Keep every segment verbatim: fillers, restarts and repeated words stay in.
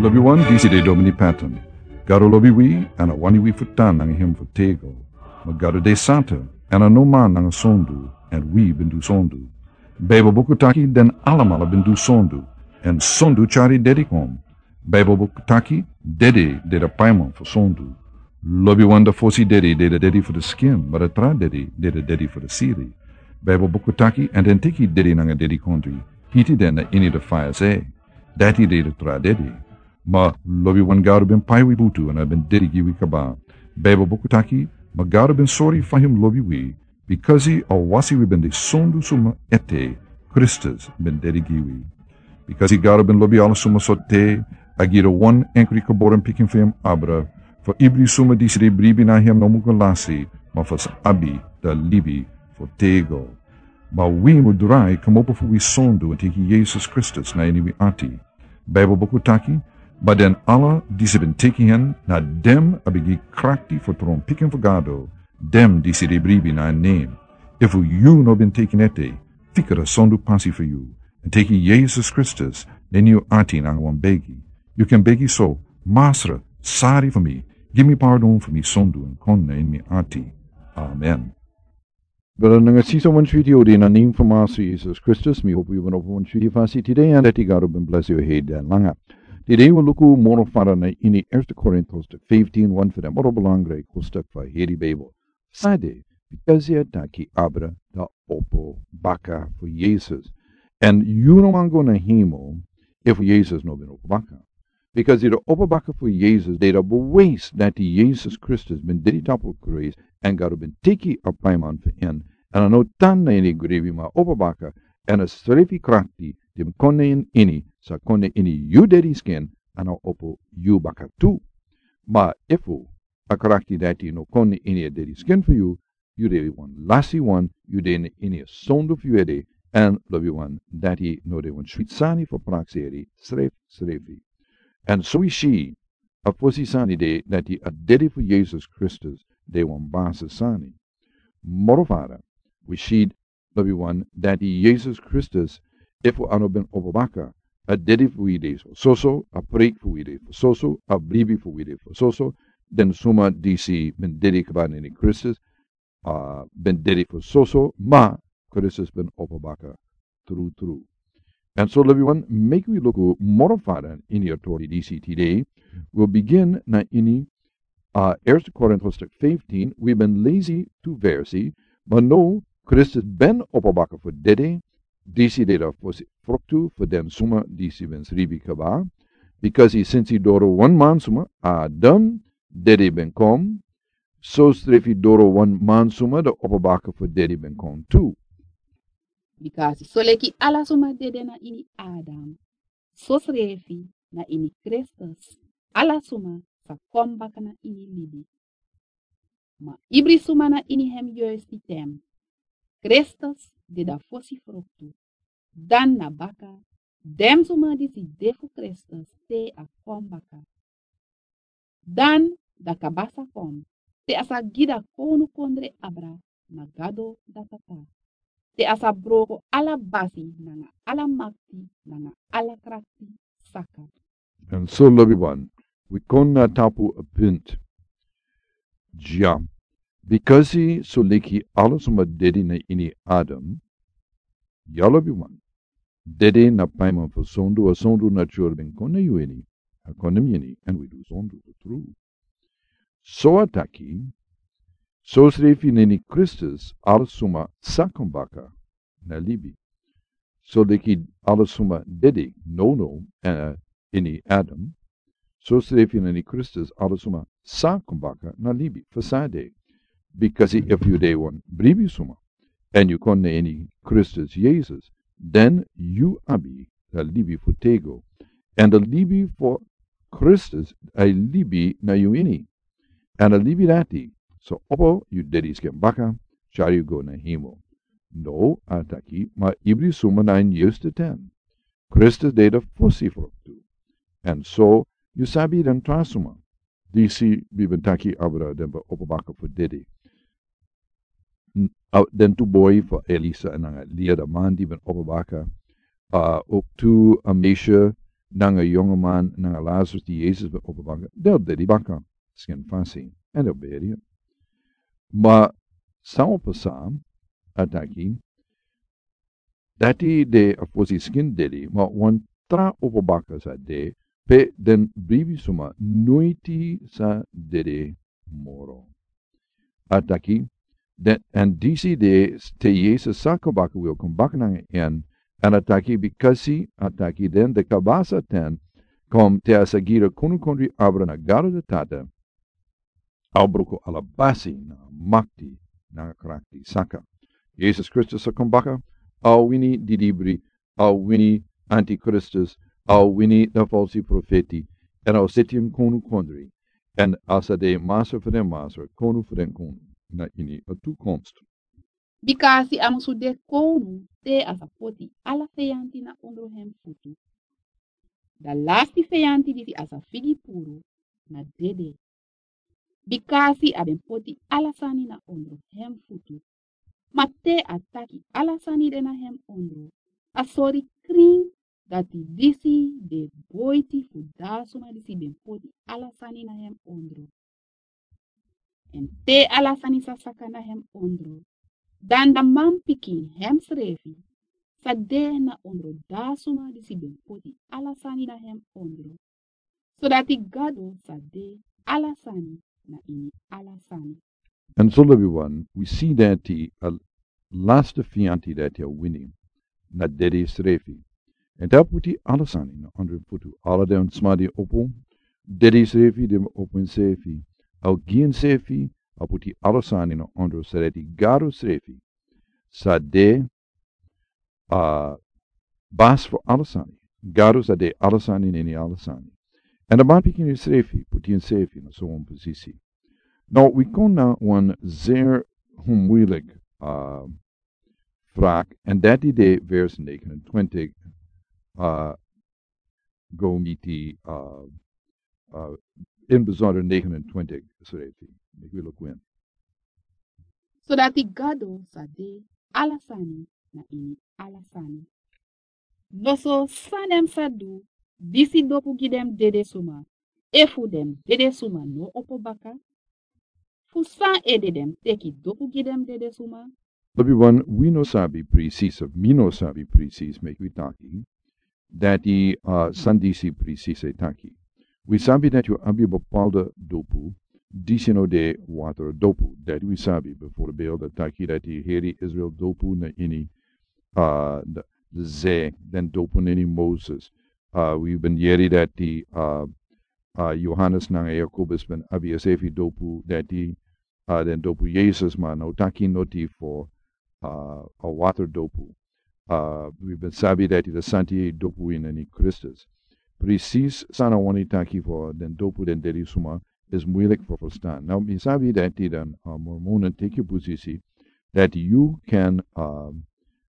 Lobi wan, disi de Domini Patton. Gado lobi wi, èn a wani wi fu tan nanga hem fu tego. Ma Gado de santa, èn a no man nanga sondu, èn wi ben du sondu. Baibel buku taki den alamala ben du sondu, èn sondu tyari dedi kon. Baibel buku taki dede de da paiman fu sondu. Lobi wan, da fosi dedi de da dedi fu da skin, ma da tra dedi de da dedi fu da siri. Baibel buku taki, èn den teki dedi nanga dedi kondri, hiti den na ini da faya se. Dati de da tra dedi. Ma lobi wan, Gado ben pai wi butu èn a ben dedi gi wi kaba. Baibel buku taki, ma Gado ben sori fa hem lobi wi, bikasi a wasi wi ben de sondu suma ete, Kristus ben dedi gi wi. Bikasi Gado ben lobi ala suma so te, a gi da wan enkri geboren pikin fu hem abra, fu ibri suma disi de bribi na hem no muka lasi, ma fu sa abi da libi fu tego. Ma wi mu drai kmopo fu wi sondu èn teki Yesus Kristus na ini wi ati. Baibel buku taki, ma den ala disi ben teki hen, na dem a ben gi krakti fu tron pikin fu Gado, dem disi de bribi na en nen. Efu yu no ben teki en ete, fika da sondu pasi fu yu, èn teki Yesus Kristus na ini yu ati nanga wan begi. Yu kan begi so: Masra, sari fu mi, gi mi pardon fu mi sondu èn kon na ini mi ati. Amen. Brada nanga sisa, wan switi odi na nen fu Masra Yesus Kristus, mi hopu yu ben opo wan switi fasi tide, èn dati Gado ben blesi yu heri den langa. Tide wi luku moro fara na ini Eerste Korintos fifteen, wan fu den moro belangrijk hoofdstuk fu heri Bijbel. Sade, bikasi a taki abra, da opo baka fu Yesus. Èn yu no man go na hemel efu Yesus no ben opo baka. Bikasi da opo baka fu Yesus de da bewijs dati Yesus Kristus ben dedi tapu kruis, èn Gado ben teki a paiman fu en, èn a no tan na ini grebi ma opo baka, èn a srefi krakti di ben kon na en ini, sa kon na ini yu dedi skin, èn a opo yu baka tu. Ma efu a krakti dati no kon na ini a dedi skin fu yu, yu de wan lasi wan, yu de na ini a sondu fu yu ede, èn lobi wan, dati no de wan switi sani fu prakseri srefsrefi. Èn so wi si, a fosi sani de dati a dedi fu Yesus Kristus de wan basi sani. Moro fara, wi si, lobi wan, dati Yesus Kristus, efu a no ben opo baka, a dedi fu wi de fu soso, a preiki fu wi de fu soso, a bribi fu wi de fu soso. Den suma disi ben dedi kaba na ini Kristus, a ben dedi fu soso, ma Kristus ben opo baka trutru. Èn so lobi wan, meki wi luku moro fara ini a tori disi tide. Wi o bigin na ini, a, Eerste Korintos fifteen, wi ben lesi tu versi, ma now Kristus ben opo baka fu dede, disi de da fosi fruktu fu den suma disi ben sribi kaba. Bikasi sinsi doro wan man suma, Adam, dede ben kon, so srefi doro wan man suma da opo baka fu dede ben kon tu. Bikasi soleki ala suma dede na ini Adam, so srefi na ini Kristus ala suma sa kon baka na ini libi. Ma ibri suma na ini hem yuisti ten, Kristus de da fosi fruktu. Dan na baka, den suma disi de fu Kristus te a kon baka. Dan da kaba sa kon, te a sa gi da kownukondre abra na Gado da Tata. Te a sa broko ala basi nanga ala makti nanga ala krakti saka. Èn so lobi wan, wi kon na tapu a punt. Dya, bikasi soleki ala suma dede na ini Adam, ya lobi wan, dede na paiman fu sondu, a sondu na tyari ben kon na yu ini, a kon na mi ini, èn wi du sondu fu tru. So a taki, so srefi na ini Kristus ala suma sa kon baka na libi. Soleki ala suma dede nownow, eh, ini Adam, so srefi na ini Kristus ala suma sa kon baka na libi. Fu sade, bikasi efu yu de wan bribi suma, èn yu kon na ini Kristus Yesus, dan yu abi da libi fu tego. Èn da libi fu Kristus a e libi na yu ini. Èn a libi dati, so opo yu dedi skin baka, tyari yu go na hemel. Now a taki, ma ibri suma na ini yuisti ten, Kristus de da fosi fruktu. Èn so yu sabi den tra suma disi wi ben taki abra den ben opo baka fu dede. N-, a, den tu boi fu Elisa nanga Lia, da man di ben opo baka. A, ook tu a meisje, nanga yongoman nanga Lazarus di Yesus ben opo baka, den o dede baka skin fasi, èn den o beri. Ma san o pasa, a taki, dati de a fosi skin dede, ma wan tra opo baka sa de, pe den bribi suma noiti sa dede moro. A taki, den, èn disi de te Yesus sa kon baka, wi o kon baka nanga en, èn a taki, bikasi a taki den de kabasa ten, kon te a sa gira kunu kondri abra na Gado de Tata, a o bruku ala basi nanga makti nanga krakti saka. Yesus Kristus sa kon baka, a o wini didibri, a o wini antikristus, a o wini na falsi profeti, èn a o seti en konu kondri, èn a sa de masra fu den masra, konu fu den konu, na ini a toekomst. Bikasi a musu de konu te a sa poti ala feyanti na ondro hem futu. Da lasti feyanti disi a sa figi puru na dede. Bikasi a ben poti ala sani na ondro hem futu. Ma te a taki ala sani de na hem ondro, a sori krin dati disi de boiti fu da suma disi ben poti ala sani na hem ondro. Èn te ala sani sa saka na hem ondro, dan da manpikin hemsrefi sa de na ondro da suma disi ben poti ala sani na hem ondro, sodati Gado sa de ala sani na ini ala sani. Èn so, lobiwan, wi si dati a lasti feyanti dati a wini na dede srefi. Èn te a poti ala sani na ondro en futu, ala den sma di opo dede srefi, den opo ensrefi, a o gi ensrefi, a poti ala sani na ondro, sodati Gado srefi sa de a basi fu ala sani. Gado sa de ala sani nanga ala sani. Èn a manpikin srefi poti ensrefi na so wan posisi. Now wi kon na wan zeer moeilijk, uh, vraag, èn dati de vers negenentwintig, uh, go miti, uh, uh, in bijzonder negenentwintig srefi. Meki wi luku en. Sodati Gado sa de ala sani na ini ala sani. Noso san den sa du disi dopu gi den dede suma, efu den dede suma no opo baka? Fu san ede den teki dopu gi den dede suma? Lobiwan, wi no sabi presis, of mi no sabi presis, meki wi taki, dati, uh, san disi presis e taki. Wi sabi dati yu abi bepaalde dopu disi no de water dopu. Dati wi sabi, bijvoorbeeld, a taki dati heri Israel dopu na ini, uh, de, de zee, den dopu na ini Moses. Uh, wi ben yere dati, uh, uh, Johannes nanga Jakobus ben abi ensrefi dopu dati, uh, den dopu Yesus, ma no taki noti fu, uh, a water dopu. Uh, wi ben sabi dati de Santi dopu ini Kristus. Presis san a wani taki fu den dopu den dede suma is moeilijk fu verstaan. Now mi sabi dati den, uh, Mormonen teki posisi dati yu kan, uh,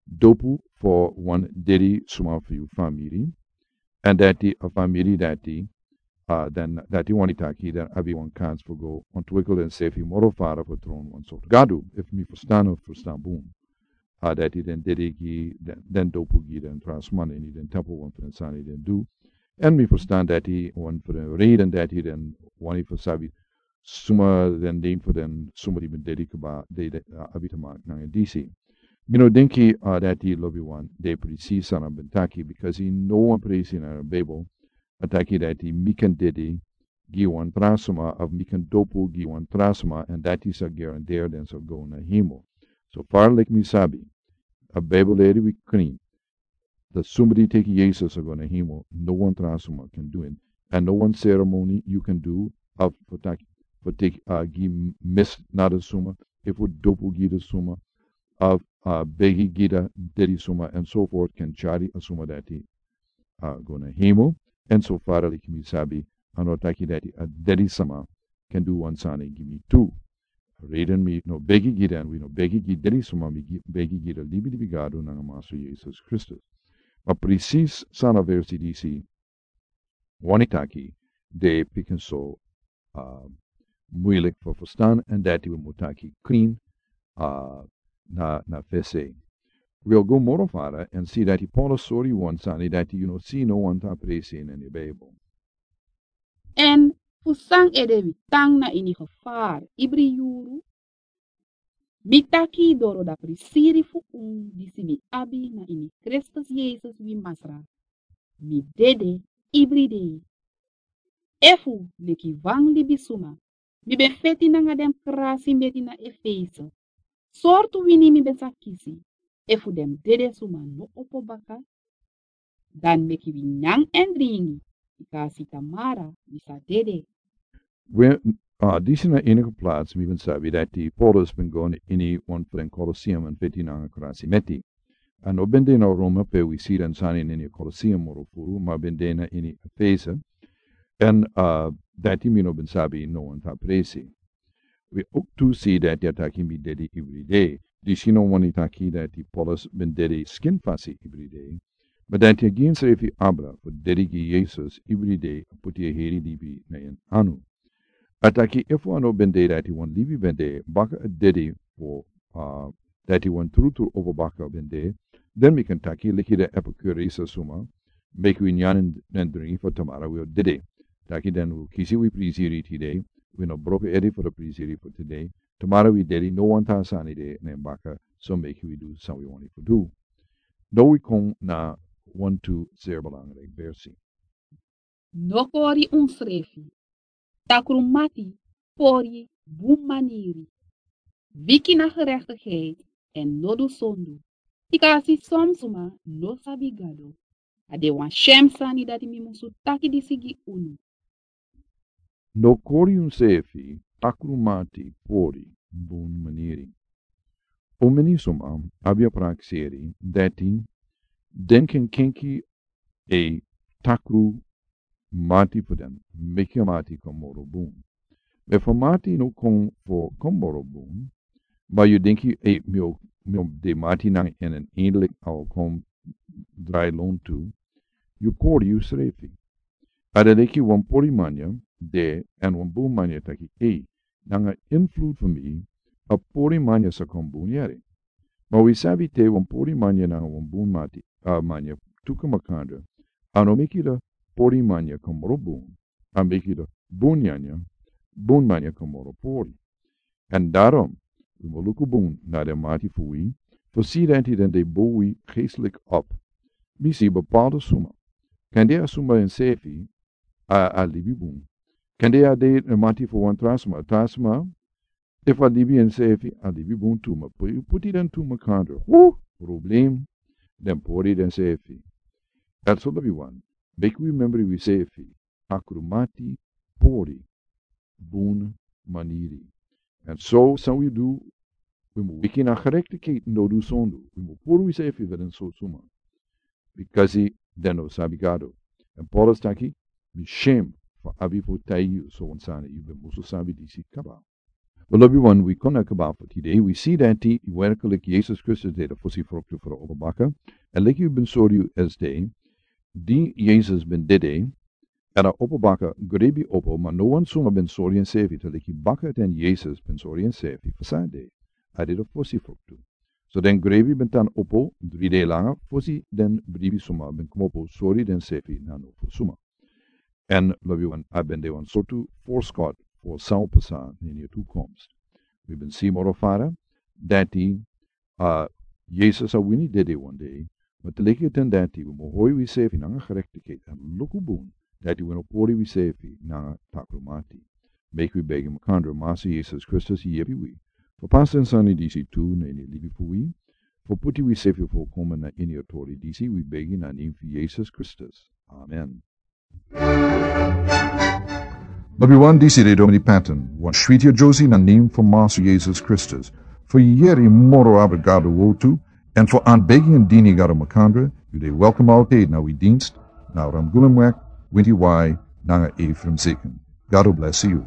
dopu fu wan dede suma fu yu famiri, èn dati a famiri dati, uh, den dati wani taki den abi wan kans fu go ontwikkel ensrefi moro fara fu tron wan sortu Gado, efu mi verstaan, of verstaan bun. Uh, dati den dede gi den, den dopu gi den tra sma ini den tempel, wan fu den sani den du. Èn mi verstaan dati wan fu den reden dati den wani fu sabi suma den nen fu den suma di ben dede kaba, de, de, uh, abi te maki nanga disi. Mi no denki, uh, dati, lobiwan, de presis san a ben taki, bikasi no wan presi na Bijbel a taki dati mi kan dede gi wan tra suma, of mi kan dopu gi wan tra suma, èn dati sa garandeer den sa go na hemel. So far leki mi sabi, a Bijbel leri wi krin, dati suma di teki Yesus sa go na hemel, no wan tra suma kan du en. Èn no wan seremoni yu kan du, of fu taki, fu teki, uh, gi mis na den suma, efu dopu gi den suma, of, uh, begi gi den dede suma, èn so voort, kan tyari a suma dati, uh, go na hemel. Èn so far leki mi sabi, a no taki dati a dede suma kan du wan sani gi mi tu. Reden mi no begi gi den, wi no begi gi dede suma, mi gi, begi gi den libi, libi Gado nanga Masra Yesus Kristus. Ma presis san a versi disi wani taki, de pikinso, uh, moeilijk fu verstaan, èn dati wi mu taki krin, uh, na, na fesi. Wi o go moro fara èn si dati Paulus sori wan sani dati yu no si no wan ta presi na ini Bijbel. Èn fu san ede wi tan na ini gevaar ibri yuru? Mi taki doro da prisiri fu un disi mi abi na ini Kristus Yesus wi Masra, mi dede ibri dei. Efu leki wan libisuma mi ben feti nanga den krasi meti na Efese, sortu wini mi ben sa kisi? Efu den dede suma no opo baka, dan meki wi nyan èn dringi, bika a si tamara mi sa dede. We, a disi na enige plaats mi ben sabi dati Paulus ben go na ini wan fu den Colosseum èn feti nanga krasi meti. A no ben de na Roma pe wi si den sani na ini Colosseum moro furu, ma ben de na ini Efese. Èn a dati mi no ben sabi no wan ta presi. Wi ook tu si dati a taki mi dede ibri dei. Disi no wani taki dati Paulus ben dede skin fasi ibri dei. Ma dati a gi ensrefi abra fu dede gi Yesus ibri dei, a poti a heri libi na en anu. A taki efu a no ben de dati wan libi ben de, baka a dede fu a dati wan trutru opo baka ben de, dan mi kan taki leki den epikurese suma, meki wi nyan èn dringi fu tamara wi o dede. Taki dan wi o kisi wi prisiri tide, wi no broko ede fu den prisiri fu tide. Tamara wi dede, no wan ta sani de na en baka, so meki wi du san wi wani fu du. No wi kon na wan tu zeer belangrijk versi. No kori unsrefi takru mati, pori, bun maniri, wiki na gerechtigheid èn no du sondu. Bika a si son suma no sabi Gado. A de wan shem sani dati mi musu taki disi gi unu. No kori unsrefi takru mati, pori, bun maniri. Un meni suma abi a prakseri dati den ken kenki e takru mati fu den, meki a mati kon moro bun. Ma efu a mati no kon fu kon moro bun, ma yu denki, e, mi o, mi o de mati nanga en èn eindelijk a o kon drai lontu, yu kori yusrefi. A de leki wan pori manya de èn wan bun manya taki, e, nanga invloed fu mi, a pori manya sa kon bun yere. Ma wi sabi te wan pori manya nanga wan bun mati, a manya tuku makandra, a no meki a pori manya kon moro bun, a meki a bun manya, bun manya kon moro pori. Èn daarom, wi mu luku bun na den mati fu wi, fu si dati den de bou wi geestelijk op. Mi si bepaalde suma. Kande a suma ensrefi a, a libi bun. Kande a de den mati fu wan tra suma, tra suma, efu a libi ensrefi a libi bun tu, ma pu-, puti den tu makandra. Hu, problem, den pori densrefi. Èn so lobiwan, meki wi membri wisrefi, takru mati, pori, bun maniri. Èn so san wi du, wi mu wiki na gerechtigheid, no du sondu, wi mu puru wisrefi fu den sortu suma. Bikasi den no sabi Gado. Èn Paulus taki, mi shem fu abi fu taigi yu so wan sani, yu ben musu sabi disi kaba. Lobiwan, wi kon na kaba fu tide, wi si dati werkelijk Yesus Kristus de a fosi fruktu fu a opo baka. Èn leki wi ben sori yu esde, di Yesus ben dede, èn a opo baka grebi opo, ma no wan suma ben sori ensrefi, te leki baka den Yesus ben sori ensrefi fu san a de, a de a fosi fruktu. So den grebi ben tan opo dri dei langa fosi den bribi suma ben komopo sori densrefi na no fu suma. Èn lobiwan, a ben de wan sortu voorschot fu san o pasa na ini a toekomst. Wi ben si moro fara dati, a, Yesus a wini dede wan dei, ma te leki a ten dati wi mu hori wisrefi nanga gerechtigheid èn luku bun dati wi no pori wisrefi nanga takru mati. Meki wi begi makandra, Masa Yesus Kristus, yepi wi fu pasa den sani disi tu na ini a libi fu wi, fu puti wisrefi fu komen na ini a tori disi, wi begi na nen fu Yesus Kristus. Amen. Lobiwan, disi de Domini Patton, wan switi a Josie na nen fu Masa Yesus Kristus. Fu yeri moro abra Gado wortu, èn fu an begi èn dini Gado makandra, yu de welkom altijd na wi dienst, na Ramgulumweg, winti wai, nanga Ephraim Zeken. Gado bless yu.